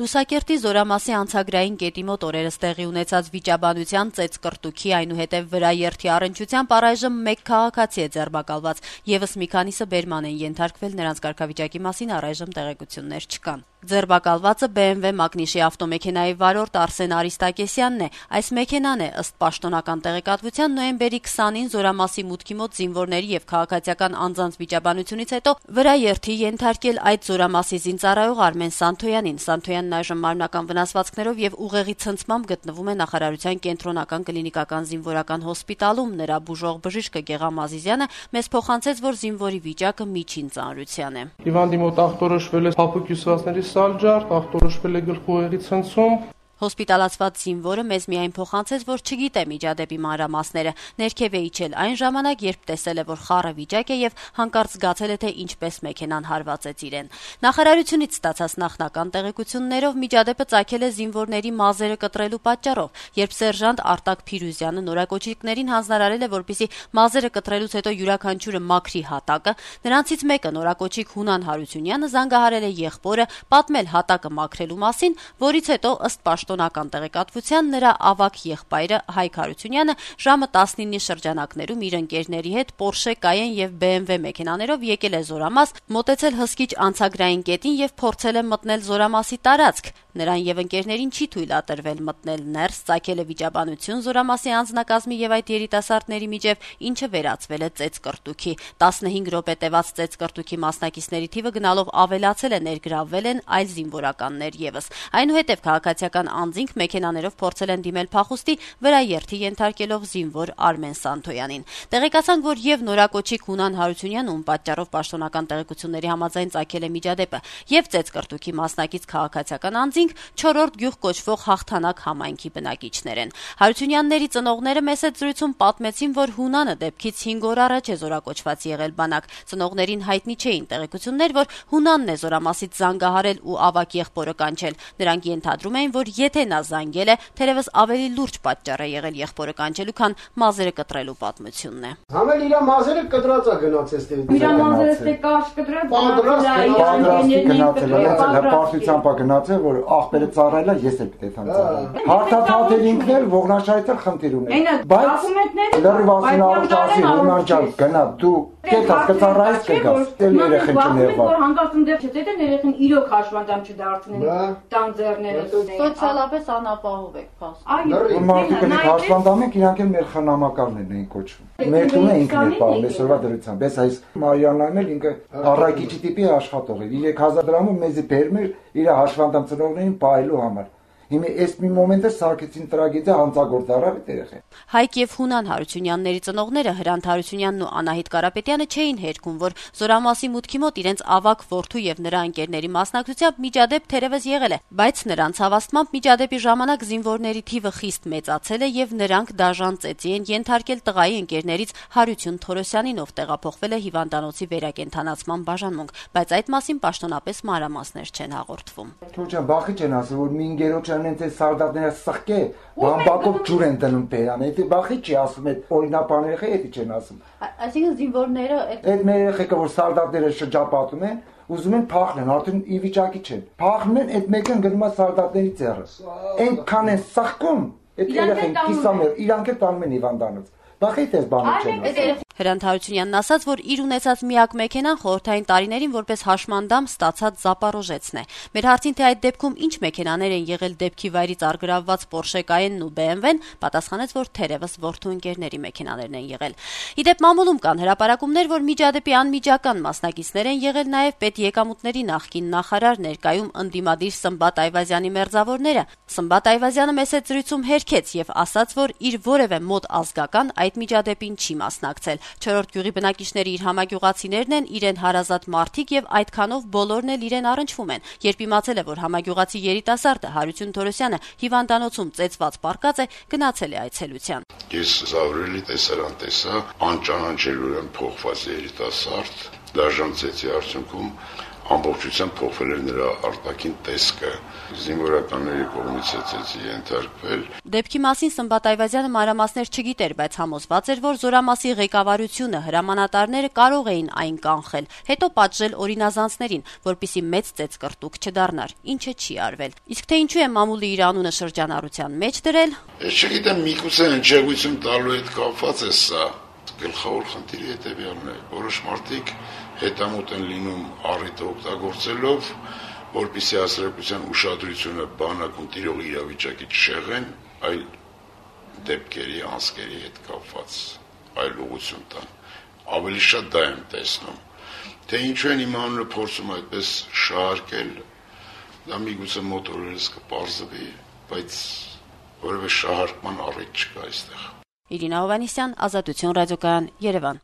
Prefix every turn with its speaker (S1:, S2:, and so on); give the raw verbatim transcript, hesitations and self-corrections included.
S1: Լուսակերտի Զորամասի անցագրային կետի մոտ օրերս տեղի ունեցած վիճաբանության ծեծկրտուքի այնուհետև վրաերթի առնչությամբ առայժմ մեկ քաղաքացի է ձերբակալված, եւս մի քանիսը բերման են ենթարկվել, նրանց կարգավիճակի մասին առայժմ տեղեկություններ չկան։ Ձերբակալվածը B M W Մակնիշի ավտոմեքենայի վարորդ Արսեն Արիստակեսյանն է։ Այս մեքենան է ըստ պաշտոնական տեղեկատվության նոյեմբերի քսանին Զորամասի մուտքի մոտ զինվորների եւ քաղաքացիական անձանց վիճաբանությունից հետո վրաերթի ենթարկել այդ Զորամասի զինծառայող Արմեն Սանթոյանին։ Սանթոյանն այժմ մարմնական վնասվածքներով եւ ուղեղի ցնցմամբ գտնվում է նախարարության կենտրոնական կլինիկական զինվորական հոսպիտալում։ Նրա բուժող բժիշկը Գեղամ Ազիզյանը մեզ փոխանցեց, որ զինվորի վիճակը միջին ծանրության է։
S2: Հիվանդի մոտ ախտորոշվել է փափուկ հյուսվածքների սալջարդ, ախտորոշվել է գլխուղեղի ցնցում։
S1: Հոսպիտալացված զինվորը մեզ միայն փոխանցեց, որ չգիտե միջադեպի մանրամասները։ Ներքև է իջել այն ժամանակ, երբ տեսել է, որ խառը վիճակ է եւ հանկարծ զգացել է, թե ինչպես մեքենան հարվածեց իրեն։ Նախարարությունից ստացած նախնական տեղեկություններով միջադեպը ծագել է զինվորների մազերը կտրելու պատճառով, երբ սերժանտ Արտակ Փիրուզյանը նորակոչիկներին հանձնարարել է, որպեսզի մազերը կտրելուց հետո յուրաքանչյուրը մաքրի հատակը, նրանցից մեկը նորակոչիկ Հունան Հարությունյանը զանգահարել է եղբորը պատմել հատակը մաքրելու մասին, որից հետո ըստ պաշտոնական տեղեկատվության նրա ավագ եղբայրը Հայկ Հարությունյանը ժամը տասնինի շրջանակներում իր ընկերների հետ Porsche Cayenne եւ B M W մեքենաներով եկել է Զորամաս, մոտեցել հսկիչ անցագրային կետին եւ փորձել է մտնել Զորամասի տարածք։ Նրան եւ ընկերներին չի թույլատրվել մտնել ներս, ծագել է վիճաբանություն Զորամասի անձնակազմի եւ այդ երիտասարդների միջև, ինչը վերածվել է ծեծկրտուքի։ տասնհինգ րոպե տևած ծեծկրտուքի մասնակիցների թիվը գնալով ավելացել է, ներգրավվել են այլ զինվորականներ եւս։ Այնուհետև քաղաքացիական անձինք մեքենաներով փորձել են դիմել փախուստի, վրաերթի ենթարկելով զինվոր Արմեն Սանթոյանին։ Տեղեկացանք, որ եւ նորակոչիկ Հունան Հարությունյանը, ում պատճառով պաշտոնական տեղեկությունների համաձայն ծագել է միջադեպը, եւ ծեծկրտուքի մասնակից քաղաքացիական անձինք չորրորդ գյուղ կոչվող Հաղթանակ համայնքի բնակիչներ են։ Հարությունյանների ծնողները մեծ զրույցում պատմեցին, որ Հունանը դեպքից հինգ օր առաջ է զորակոչված եղել բանակ։ Ծնողներին հայտնի չէին տեղեկություններ, որ Հունանն է Զորամասից զանգահարել ու ավագ եղբորը կանչել։ Նրանք ենթադրում էին, որ եթե նա զանգել է, թերևս ավելի լուրջ պատճառ է եղել եղբորը կանչելու, քան մազերը կտրելու պատմությունն է։
S3: Համել իր մազերը կտրած է գնացել ստե։
S4: Իր մազերը ստե կարճ կտրած,
S5: հպարտությամբ է գնացել, որ աղբերը ծառայելա, ես էլ պետք է ծառայեմ։ Հարթաթաթել ինքներ ողնաշայթը խնդիր ունեն։ Բայց լրիվասին աղջասի Հունան ջան, գնա դու կետա կծառայես կգաս։ Դել երեխեն չներվա։
S4: Որ հանկարծում դեռ չէ, դե երեխեն իրոք հաշվանդամ չդարձնեն։ Տան ձեռները
S1: սոցիալապես անապահով եք փաստում։
S4: Այո,
S5: մարդիկ են հաշվանդամ են, իրանք էլ մեր խնամակալներն են կոչվում։ Մեր տունը ինքն է պահում, այսօրվա դրությամբ։ Այս այս Մարիաննան էլ ինքը առաքիչի տիպի աշխատող է։ երեք հազար դրամով մեզի բերում էր իր հաշվանդամ ծնողներին պահելու համար։ Հիմա այս մի մոմենտը սարքեցին տրագեդիա հանցագործ առավիտ երեխա։
S1: Հայկ եւ Հունան Հարությունյանների ծնողները Հրանտ Հարությունյանն ու Անահիտ Կարապետյանը չէին հերքում, որ Զորամասի մուտքի մոտ իրենց ավագ որդու եւ նրա ընկերների մասնակցությամբ միջադեպ թերևս եղել է, բայց նրանց հավաստմամբ միջադեպի ժամանակ զինվորների թիվը խիստ մեծացել է եւ նրանք դաժան ծեծի են ենթարկել տղայի ընկերներից Հարություն Թորոսյանին, ով տեղափոխվել է հիվանդանոցի վերակենդանացման բաժանմունք, բայց այդ մասին պաշտոնապես մանրամասներ չեն հաղորդվում։
S5: Թոջան բախի չեն ասել, որ մի ինգերոջ անենց սարդատները սխկե, բամբակով ջուր են դնում բերան, էդի բախի չի ասում, այդ օրինապաները էդի չեն ասում։
S1: Այսինքն զինվորները
S5: այդ մեր երեխեքը, որ սարդատները շրջապատում են, ուզում են փախնեն, արդեն ի վիճակի չեն։ Փախնում են, այդ մեկն գնում է սարդատների ձեռը։ Այնքան են սխկում, այդ երեխեն կիսամեր, իրանք էլ տանում են հիվանդանոց։ Բախի դες բանը չեն։
S1: Հրանտ Հարությունյանն ասաց, որ իր ունեցած միակ մեքենան խորհրդային տարիներին որպես հաշմանդամ ստացած Զապարոժեցն է։ Մեր հարցին, թե այդ դեպքում ինչ մեքենաներ են եղել դեպքի վայրից առգրավված Porsche Cayenne-ն ու B M W-ն, պատասխանեց, որ թերևս որդու ընկերների մեքենաներն են եղել։ Իդեպ մամուլում կան հրապարակումներ, որ միջադեպի անմիջական մասնակիցներ են եղել նաև պետեկամուտների նախկին նախարար, ներկայում ընդդիմադիր Սմբատ Այվազյանի մերձավորները։ Սմբատ Այվազյանը մեծ զրույցում հերքեց եւ ասաց, որ իր որևէ մոտ ազգական այդ միջադեպին չի մասնակցել։ Չորրորդ գյուղի բնակիչները իր համագյուղացիներն են, իրեն հարազատ մարդիկ եւ այդքանով բոլորն էլ իրեն առնչվում են։ Երբ իմացել է, որ համագյուղացի երիտասարդը Հարություն Թորոսյանը հիվանդանոցում ծեծված պառկած է, գնացել է այցելության։
S6: Ես զավրելի տեսարան տեսա, անճանաչելուրեն փոխված երիտասարդ, դաժան ծեծի արդյունքում ամբողջությամբ փոխվել էր նրա արտաքին տեսքը, զինվորականների կողմից էցեցի ենթարկվել։
S1: Դեպքի մասին Սմբատ Այվազյանը մանրամասներ չգիտեր, բայց համոզված էր, որ Զորամասի ղեկավարությունը, հրամանատարները կարող էին այն կանխել, հետո պատժել օրինազանցներին, որպիսի մեծ ծեծկռտուք չդառնար, ինչը չի արվել։ Իսկ թե ինչու է մամուլի իր անունը շրջանառության մեջ դրել,
S6: Ես չգիտեմ, միգուցե հնչեղություն տալու հետ կապված է սա։ Գլխավոր խնդիրը հետևյալն է, որոշ մարդիկ հետամուտ են լինում առիթը օգտագործելով, որպեսզի հասարակության ուշադրությունը բանակում տիրող իրավիճակի չշեղեն, այլ դեպքերի, անձկերի հետ կապված այլ ուղղություն տան։ Ավելի շատ դա եմ տեսնում։ Թե ինչու են իմ անունը փորձում այդպես շահարկել, դա միգուցե մոտ օրերս կպարզվի, բայց որևէ շահարկման առիթ չկա այստեղ։
S1: Իրինա Հովհաննիսյան, Ազատություն ռադիոկայան, Երևան։